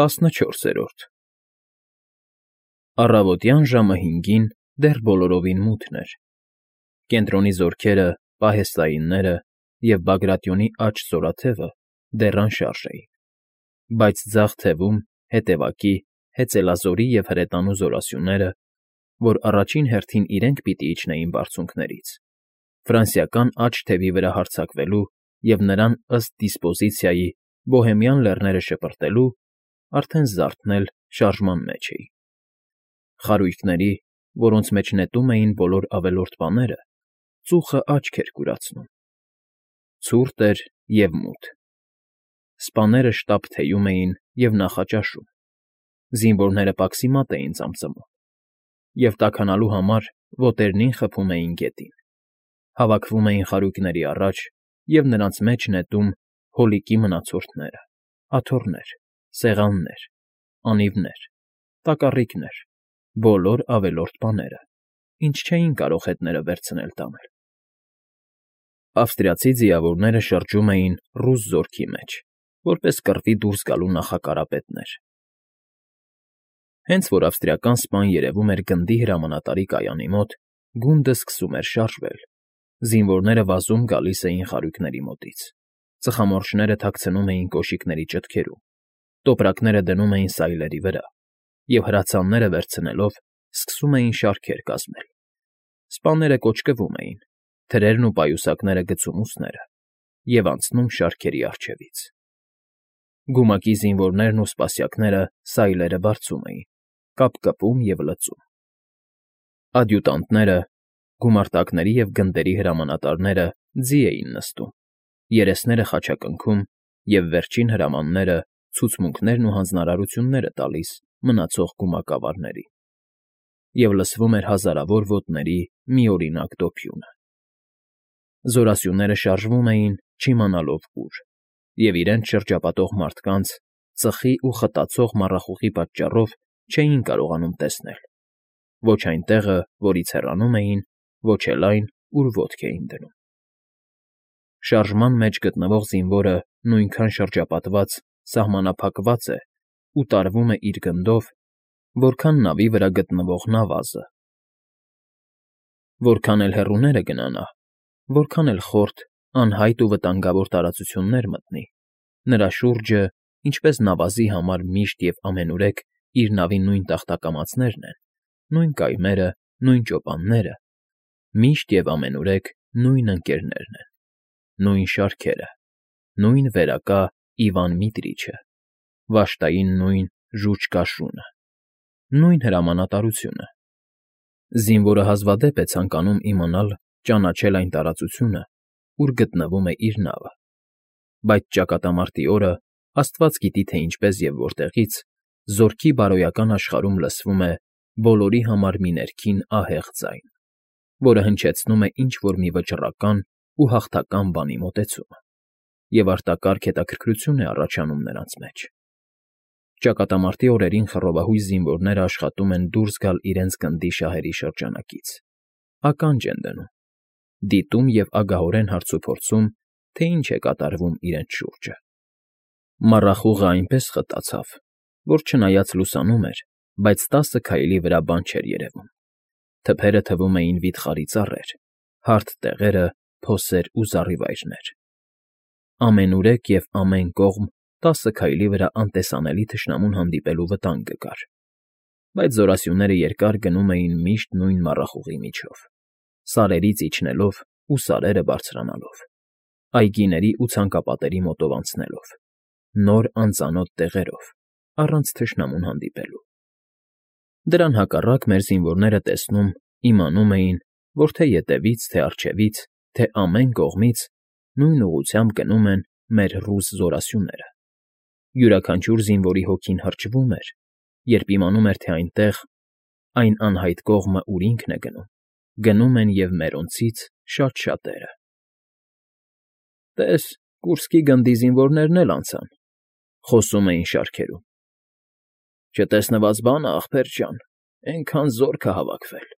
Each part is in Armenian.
14-րդ Առավոտյան ժամը 5-ին դեռ բոլորովին մութն էր. կենտրոնի զորքերը, պահեստայինները և Բագրատյոնի աջ զորաթևը դեռ անշարժ էին, բայց ձախ թևում, հետևակի, հեծելազորի և հրետանու զորասյուները, որ առաջին հերթին իրենք պիտի իջնեին բարձունքներից, ֆրանսիական աջ թևի վրա հարձակվելու և նրան ըստ դիսպոզիցիայի Բոհեմյան լեռները շպրտելու, արդեն զարթնել շարժման մեջ էին. խարույկների, որոնց մեջ նետում էին բոլոր ավելորդ բաները, ծուխը աչք էր կուրացնում. ցուրտ էր և մութ. սպաները շտապ թեյում էին և նախաճաշում, զինվորները պաքսիմատ էին ծամծմում, և տաքանալու համար ոտերնին խփում էին գետին, հավաքվում էին խարույկների առաջ և նրանց մեջ նետում հոլիկի մնացորդները, աթոռներ, սեղաններ, անիվներ, տակառիկներ, բոլոր ավելորդ բաները, ինչ չէին կարող հետները վերցնել տանել։ Ավստրիացի ձիավորները շրջում էին ռուս զորքի մեջ, որպես կռվի դուրս գալու նախակարապետներ։ Հենց որ ավստրիական սպան երևում էր գնդի հրամանատարի կայանի մոտ, գունդը սկսում էր շարժվել, զինվորները վազում գալիս էին խարույկների մոտից, ծխամորճները թաքցնում էին կոշիկների ճտքերում, տոպրակները դնում էին սայլերի վրա և հրացանները վերցնելով սկսում էին շարքեր կազմել։ Սպաները կոճկվում էին, թրերն ու պայուսակները գցում ուսները և անցնում շարքերի առջևից։ Գումակի զինվորներն ու սպասյակները սայլերը բարձում էին, կապկպում և լծում։ Ադյուտանտները, գումարտակների և գնդերի հրամանատարները ձի էին նստում, երեսները խաչակնքում և վերջին հրամանները, ցուցմունքներն ու հանձնարարությունները տալիս մնացող գումակավարներին։ Եվ լսվում էր հազարավոր ոտների միօրինակ դոփյունը։ Զորասյուները շարժվում էին, չիմանալով ուր, և իրենց շրջապատող մարդկանց, ծխի ու խտացող մառախուղի պատճառով չէին կարողանում տեսնել ոչ այն տեղը, որից հեռանում էին, ոչ էլ այն, ուր ոտք էին դնում։ Շարժման մեջ գտնվող զինվորը նույնքան շրջապատված, սահմանափակված է ու տարվում է իր գնդով, որքան նավի վրա գտնվող նավազը։ Որքան էլ հեռուները գնա նա, որքան էլ խորտ, անհայտ ու վտանգավոր տարածություններ մտնի, նրա շուրջը, ինչպես նավազի համար միշտ և ամենուրեք իր նավի նույն տախտակամածներն են, նույն կայմերը, նույն ճոպանները, միշտ և ամենուրեք նույն ընկերներն են, նույն շարքերը, նույն վերակա Իվան Միտրիչը, վշտային նույն ժուճ կաշունը, նույն հրամանատարությունը։ Զինվորը հազվադեպ է ցանկանում իմանալ, ճանաչել այն տարածությունը, ուր գտնվում է իր նավը, բայց ճակատամարտի օրը, աստված գիտի թե ինչպես և որտեղից, զորքի բարոյական աշխարհում լսվում է բոլորի համար մի ներքին ահեղ ձայն, որը հնչեցնում է ինչ֊որ մի վճռական ու հաղթական բանի մոտեցումը, և արտակարգ հետաքրքրություն է առաջանում նրանց մեջ։ Ճակատամարտի օրերին խռովահույս զինվորները աշխատում են դուրս գալ իրենց գնդի շահերի շրջանակից, ականջ են դնում, դիտում և ագահորեն հարցուփորձում, թե ինչ է կատարվում իրենց շուրջը։ Մառախուղը այնպես խտացավ, որ չնայած լուսանում էր, բայց 10 քայլի վրա բան չէր երևում։ Թփերը թվում էին վիթխարի ծառեր, հարթ տեղերը՝ փոսեր ու զառիվայրեր։ Ամենուրեք և ամեն կողմ 10 քայլի վրա անտեսանելի թշնամուն հանդիպելու վտանգը կար, բայց զորասյուները երկար գնում էին միշտ նույն մառախուղի միջով, սարերից իջնելով ու սարերը բարձրանալով, այգիների ու ցանկապատերի մոտով անցնելով, նոր անծանոթ տեղերով, առանց թշնամուն հանդիպելու։ Դրան հակառակ մեր զինվորները տեսնում, իմանում էին, որ թե ետևից, թե առջևից, թե ամեն կողմից նույն ուղղությամբ գնում են մեր ռուս զորասյուները։ Յուրաքանչյուր զինվորի հոգին հրճվում էր, երբ իմանում էր, թե այնտեղ, այն անհայտ կողմը, ուր ինքն է գնում են և մերոնցից շատ֊շատերը։ «Տես, Կուրսկի գնդի զինվորներն էլ անցան», ֊ խոսում էին շարքերում։ «Չտեսնված բան է, ախպեր ջան, էնքան զորք է հավաքվել։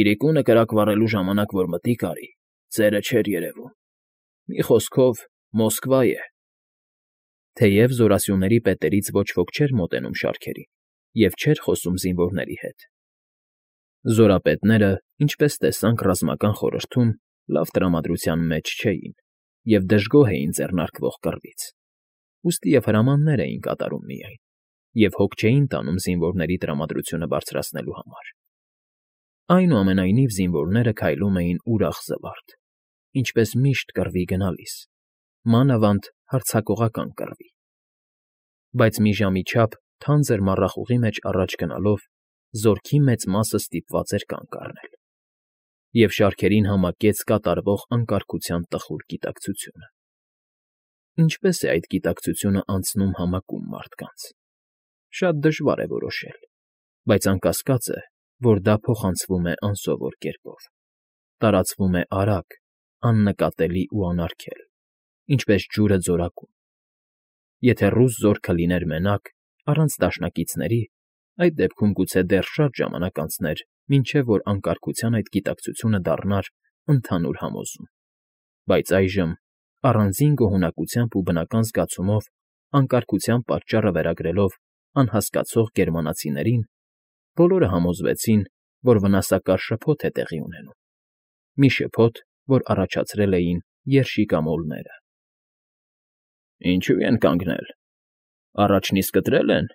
Իրիկունը կրակ վառելու ժամանակ որ մտիկ արի, ծերը չէր երևում։ Մի խոսքով, Մոսկվա է»։ Թեև զորասյուների պետերից ոչ ոք չէր մոտենում շարքերին և չէր խոսում զինվորների հետ։ Զորապետները, ինչպես տեսանք ռազմական խորհրդում, լավ տրամադրության մեջ չէին և դժգոհ էին ձեռնարկվող կռվից, ուստի և հրամաններ էին կատարում միայն, և հոգ չէին տանում զինվորների տրամադրությունը բարձրացնելու համար։ Այնուամենայնիվ զինվորները քայլում էին ուրախ զվարթ, ինչպես միշտ կռվի գնալիս, մանավանդ հարձակողական կռվի։ Բայց մի ժամի չափ թանձր մառախուղի մեջ առաջ գնալով զորքի մեծ մասը ստիպված էր կանգ առնել, և շարքերին համակեց կատարվող անկարգության տխուր գիտակցությունը։ Ինչպես է այդ գիտակցությունը անցնում համակում մարդկանց։ Շատ դժվար է որոշել, բայց անկասկած է, որ դա փոխանցվում է անսովոր կերպով, տարածվում է արագ, աննկատելի ու անարգել, ինչպես ջուրը ձորակում։ Եթե ռուս զորքը լիներ մենակ, առանց դաշնակիցների, այդ դեպքում գուցե դեռ շատ ժամանակ անցներ, մինչև որ անկարգության այդ գիտակցությունը դառնար ընդհանուր համոզում, բայց այժմ, առանձին գոհունակությամբ ու բնական զգացումով, անկարգության պատճառը վերագրելով անհասկացող գերմանացիներին, բոլորը համոզվեցին, որ վնասակար շփոթ է տեղի ունենում, մի շփոթ, որ առաջացրել էին երշիկամոլները։ Ինչո՞ւ են կանգնել, առաջն իսկ կտրել են,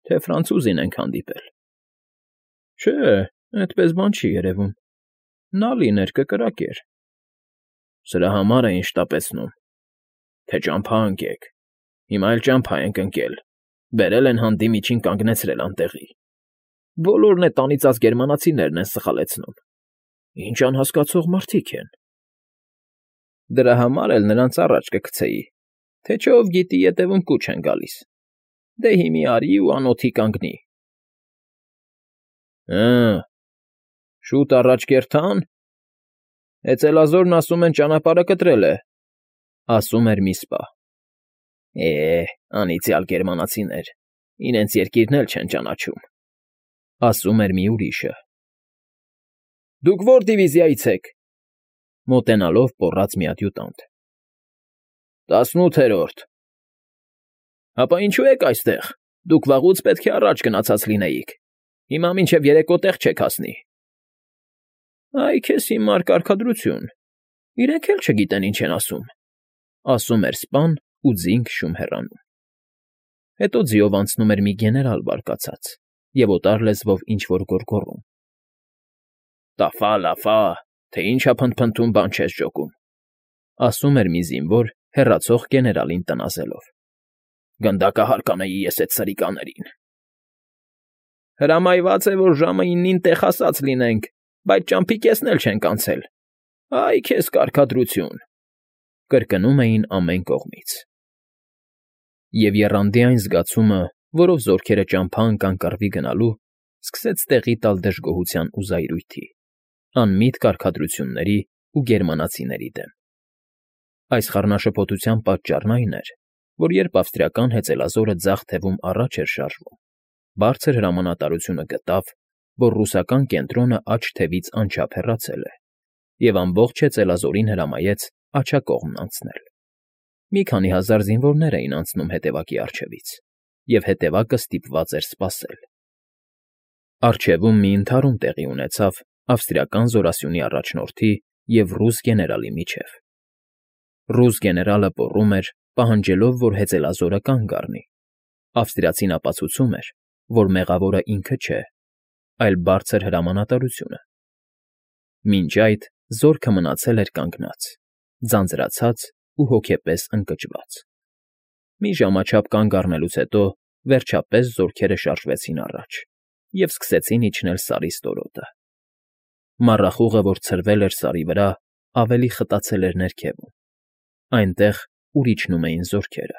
թե ֆրանցուզին ենք հանդիպել։ Չէ, այդպես բան չի երևում, նա լիներ կկրակեր։ Սրա համար էին շտապեցնում, թե ճամփա ընկեք, հիմա էլ ճամփա ենք ընկել, բերել են հանդի միջին կանգնեցրել անտեղի։ Բոլորն էդ անիծած գերմանացիներն են սխալեցնում։ Ինչ անհասկացող մարդիկ են։ Դրա համար էլ նրանց առաջ կգցեի, թե չէ ով գիտի ետևում կուչ են գալիս։ Դե հիմի արի ու անոթի կանգնի։ Շուտ առաջ կերթան։ Էծելազորն ասում են ճանապարհը կտրել է, ասում էր մի սպա։ Անիծյալ գերմանացիներ, իրենց երկիրն էլ չեն ճանաչում, ասում էր մի ուրիշը։ Դուք ո՞ր դիվիզիայից եք, մոտենալով պոռաց մի ադյուտանտ։ 18-րդ։ Հապա ինչու եք այստեղ, դուք վաղուց պետք է առաջ գնացած լինեիք, հիմա մինչև երեկո տեղ չեք հասնի։ Այ քեզ հիմար կարգադրություն, իրենք էլ չգիտեն ինչ են ասում էր սպան ու ձինք շում հեռանում։ Հետո ձիով անցնում էր մի գեներալ բարկացած և օտար լեզվով ինչ֊որ գոռգոռում։ Տաֆա, լաֆա, թե ինչ ա փնթփնթում, բան չես ջոկում, ասում էր մի զինվոր հեռացող գեներալին տնազելով։ Գնդակահար կանեի ես էդ սրիկաներին։ Հրամայված է, որ ժամը 9-ին տեղ հասած լինենք, բայց ճամփի կեսն էլ չենք անցել։ Այ քեզ կարգադրություն, կրկնում էին ամեն կողմից։ Եվ եռանդի այն զգացումը, որով զորքերը ճամփա ընկան կռվի գնալու, սկսեց տեղի տալ դժգոհության ու զայրույթի, անմիտ կարգադրությունների ու գերմանացիների դեմ։ Այս խառնաշփոթության պատճառն այն էր, որ երբ ավստրիական հեծելազորը ձախ թևում առաջ էր շարժվում, բարձր հրամանատարությունը գտավ, որ ռուսական կենտրոնը աջ թևից անչափ հեռացել է, և ամբողջ հեծելազորին հրամայեց աջակողմն անցնել։ Մի քանի հազար զինվորներ էին անցնում հետևակի առջևից, և հետևակը ստիպված էր սպասել։ Առջևում մի ընդհարում տեղի ունեցավ ավստրիական զորասյունի առաջնորդի և ռուս գեներալի միջև։ Ռուս գեներալը պոռում էր, պահանջելով, որ հեծելազորը կանգ առնի։ Ավստրիացին ապացուցում էր, որ մեղավորը ինքը չէ, այլ բարձր հրամանատարությունը։ Մինչ այդ զորքը մնացել էր կանգնած, ձանձրացած ու հոգեպես ընկճված։ Մի ժամաչափ կանգ առնելուց հետո, վերջապես զորքերը շարժվեցին առաջ և սկսեցին իջնել սարի ստորոտը։ Մառախուղը, որ ցրվել էր սարի վրա, ավելի խտացել էր ներքևում, այնտեղ, ուր իջնում էին զորքերը։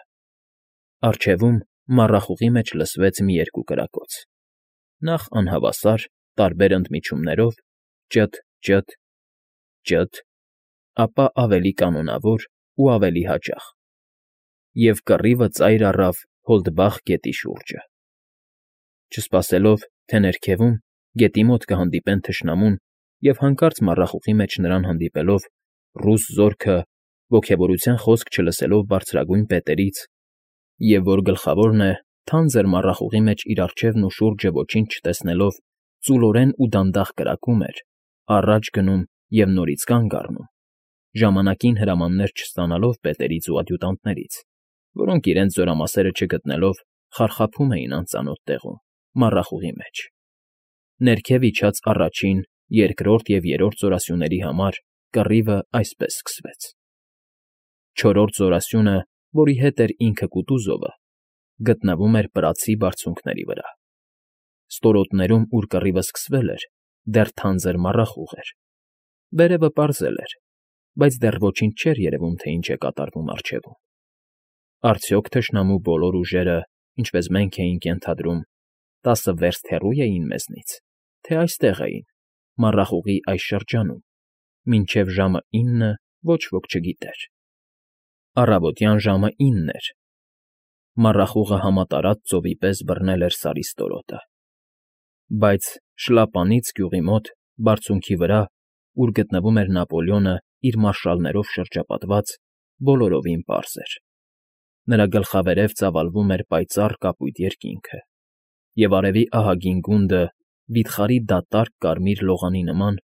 Առջևում մառախուղի մեջ լսվեց մի երկու կրակոց, նախ անհավասար, տարբեր ընդմիջումներով՝ ճըտ֊ճըտ, ճըտ, ապա ավելի կանոնավոր ու ավելի հաճախ, և կռիվը ծայր առավ Հոլդբախ գետի շուրջը։ Չսպասելով, թե ներքևում, գետի մոտ կհանդիպեն թշնամուն և հանկարծ մառախուղի մեջ նրան հանդիպելով, ռուս զորքը, ոգևորության խոսք չլսելով բարձրագույն պետերից, Եվ որ գլխավորն է, թանձր մառախուղի մեջ իր առջևն ու շուրջը ոչինչ չտեսնելով, ծուլորեն ու դանդաղ կրակում էր, առաջ գնում և նորից կանգ առնում, ժամանակին հրամաններ չստանալով պետերից ու ադյուտանտներից, որոնք իրենց զորամասերը չգտնելով խարխափում էին անծանոթ տեղում, մառախուղի մեջ։ Ներքև իջած առաջին, երկրորդ և երրորդ զորասյուների համար կռիվը այսպես սկսվեց. չորրորդ զորասյունը, որի հետ էր ինքը Կուտուզովը, գտնվում էր Պրացի բարձունքների վրա։ Ստորոտներում, ուր կռիվը սկսվել էր, դեռ թանձր մառախուղ էր։ Վերևը պարզել էր, բայց դեռ ոչինչ չէր երևում, թե ինչ է կատարվում առջևում։ Արդյոք թշնամու բոլոր ուժերը, ինչպես մենք էինք ենթադրում, 10 վերստ հեռու էին մեզնից, թե այստեղ էին, մառախուղի այս շրջանում, մինչև ժամը 9 ոչ ոք չգիտեր։ Առավոտյան ժամը 9 էր։ Մառախուղը համատարած ծովի պես բռնել էր Սարի ստորոտը։ Բայց Շլապանից գյուղի մոտ, բարձունքի վրա, ուր գտնվում էր Նապոլեոնը իր մարշալներով շրջապատված, բոլորովին պարզ էր։ Նրա գլխավերև ծավալվում էր պայծառ կապույտ երկինքը, և արևի ահագին գունդը, վիթխարի դատարկ կարմիր լողանի նման,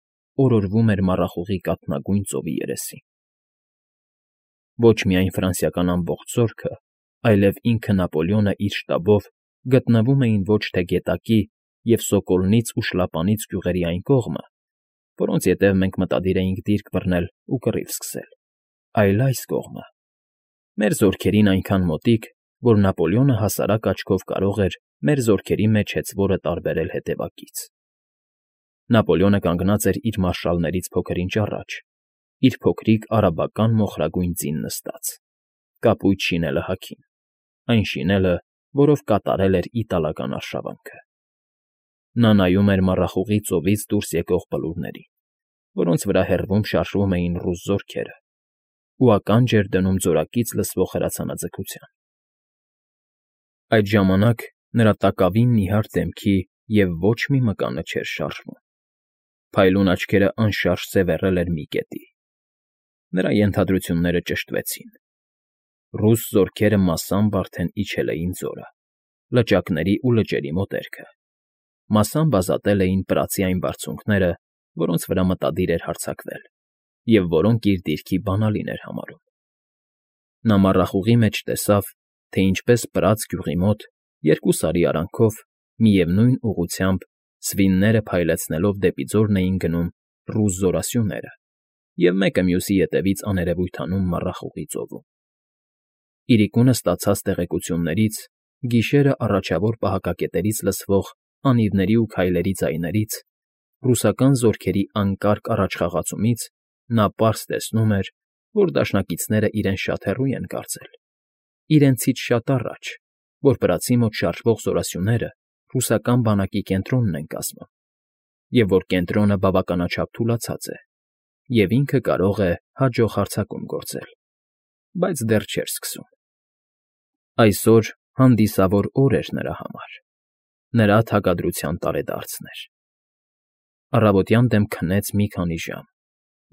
օրորվում էր մառախուղի կաթնագույն ծովի երեսին։ Ոչ միայն ֆրանսիական ամբողջ զորքը, այլև ինքը Նապոլեոնը իր շտաբով գտնվում էին ոչ թե գետակի և Սոկոլնից ու Շլապանից գյուղերի այն կողմը, որոնց ետև մենք մտադիր էինք դիրք բռնել ու կռիվ սկսել, այլ այս կողմը, մեր զորքերին այնքան մոտիկ, որ Նապոլեոնը հասարակ աչքով կարող էր մեր զորքերի մեջ հեծվորը տարբերել հետևակից։ Նապոլեոնը կանգնած էր իր մարշալներից փոքր-ինչ առաջ, իր փոքրիկ արաբական մոխրագույն ձին նստած, կապույտ շինելը հագին, այն շինելը, որով կատարել էր իտալական արշավանքը։ Նա նայում էր մառախուղի ծովից դուրս եկող բլուրներին, որոնց վրա հեռվում շարժվում էին ռուս զորքերը, ու ականջ էր դնում ձորակից լսվող հրացանաձգության։ Այդ ժամանակ նրա տակավին նիհար դեմքի և ոչ մի մկանը չէր շարժվում։ Փայլուն աչքերը անշարժ սևեռել էր մի կետի։ Նրա ենթադրությունները ճշտվեցին։ Ռուս զորքերը մասամբ արդեն իջել էին ձորը, լճակների ու լճերի մոտերքը, մասամբ ազատել էին Պրացի այն բարձունքները, որոնց վրա մտադիր էր հարձակվել, և որոնք իր դիրքի բանալին էր համարում։ Նա մառախուղի մեջ տեսավ, թե ինչպես Պրաց գյուղի մոտ, երկու սարի արանքով, միևնույն ուղղությամբ, սվինները փայլեցնելով դեպի ձորն էին գնում ռուս զորասյուները և մեկը մյուսի ետևից աներևույթ անում մառախուղի ծովում։ Իրիկունը ստացած տեղեկություններից, գիշերը առաջավոր պահակակետերից լսվող անիվների ու քայլերի ձայներից, ռուսական զորքերի անկարգ առաջխաղացումից նա պարզ տեսնում էր, որ դաշնակիցները իրեն շատ հեռու են կարծել, իրենցից շատ առաջ, որ Պրացի մոտ շարժվող զորասյուները ռուսական բանակի կենտրոնն են կազմում, և որ կենտրոնը բավականաչափ թուլացած է, և ինքը կարող է հաջող հարձակում գործել, բայց դեռ չէր սկսում։ Այսօր հանդիսավոր օր էր նրա համար, նրա թագադրության տարեդարձն էր։ Առավոտյան դեմ քնեց մի քանի ժամ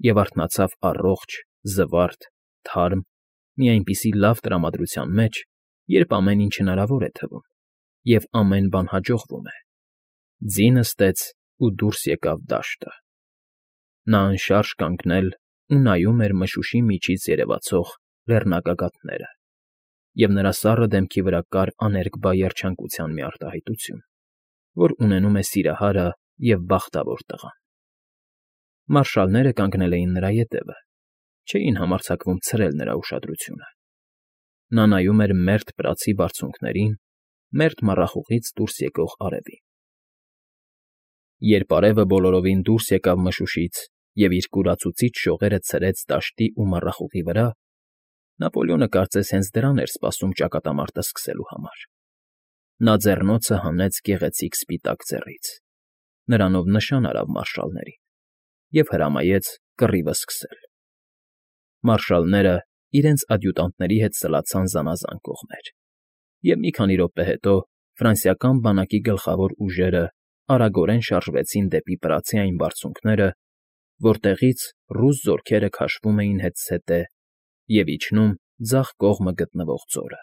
և արթնացավ առողջ, զվարթ, թարմ, մի այնպիսի լավ տրամադրության մեջ, երբ ամեն ինչ հնարավոր է թվում, և ամեն բան հաջողվում է։ Ձի նստեց ու դուրս եկավ դաշտը։ Նա անշարժ կանգնել ու նայում էր մշուշի միջից երևացող լեռնագագաթները, և նրա սառը դեմքի վրա կար աներկբա երջանկության մի արտահայտություն, որ ունենում է սիրահարը և բախտավոր տղան։ Մարշալները կանգնել էին նրա ետևը, չէին համարձակվում ցրել նրա ուշադրությունը։ Նա նայում էր մերթ Պրացի բարձունքներին, մերթ մառախուղից դուրս եկող արևին։ Երբ արևը բոլորովին դուրս եկավ մշուշից և իր կուրացուցիչ շողերը ցրեց դաշտի ու մառախուղի վրա, Նապոլեոնը կարծես հենց դրան էր սպասում ճակատամարտը սկսելու համար։ Նա ձեռնոցը հանեց գեղեցիկ սպիտակ ձեռից, նրանով նշան արավ մարշալներին և հրամայեց կռիվը սկսել։ Մարշալները իրենց ադյուտանտների հետ սլացան զանազան կողմեր, և մի քանի րոպե հետո ֆրանսիական բանակի գլխավոր ուժերը արագորեն շարժվեցին դեպի Պրացի այն բարձունքները, որտեղից ռուս զորքերը քաշվում էին հետզհետե և իջնում ձախ կողմը գտնվող ձորը։